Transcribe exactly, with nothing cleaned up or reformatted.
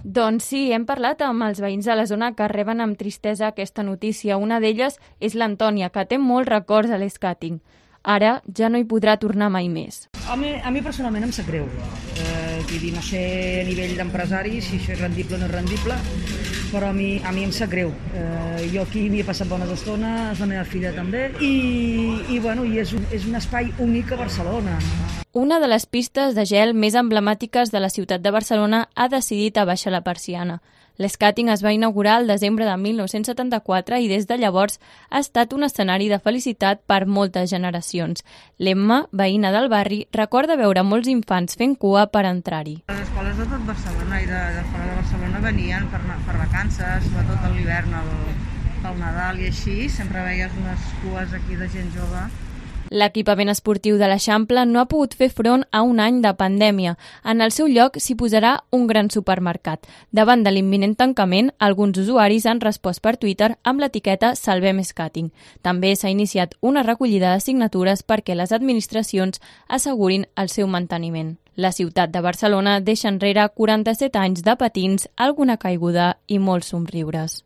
Doncs sí, hem parlat amb els veïns de la zona que reben amb tristesa aquesta notícia. Una d'elles és l'Antònia, que té molts records a l'escàting. Ara ja no hi podrà tornar mai més. A mi, a mi personalment em sap greu. Eh, vull dir, no sé a nivell d'empresari si això és rendible o no és rendible, però a mi, a mi em sap greu. Eh, jo aquí m'hi he passat bones estones, la meva filla també, i, i, bueno, i és, un, és un espai únic a Barcelona. Una de les pistes de gel més emblemàtiques de la ciutat de Barcelona ha decidit abaixar la persiana. L'Skating es va inaugurar el desembre de mil nou-cents setanta-quatre i des de llavors ha estat un escenari de felicitat per moltes generacions. L'Emma, veïna del barri, recorda veure molts infants fent cua per entrar-hi. Les escoles de tot Barcelona i de, de fora de Barcelona venien per, per vacances, sobretot a l'hivern, al Nadal i així. Sempre veies unes cues aquí de gent jove. L'equipament esportiu de l'Eixample no ha pogut fer front a un any de pandèmia. En el seu lloc s'hi posarà un gran supermercat. Davant de l'imminent tancament, alguns usuaris han respost per Twitter amb l'etiqueta Salvem Skating. També s'ha iniciat una recollida de signatures perquè les administracions assegurin el seu manteniment. La ciutat de Barcelona deixa enrere quaranta-set anys de patins, alguna caiguda i molts somriures.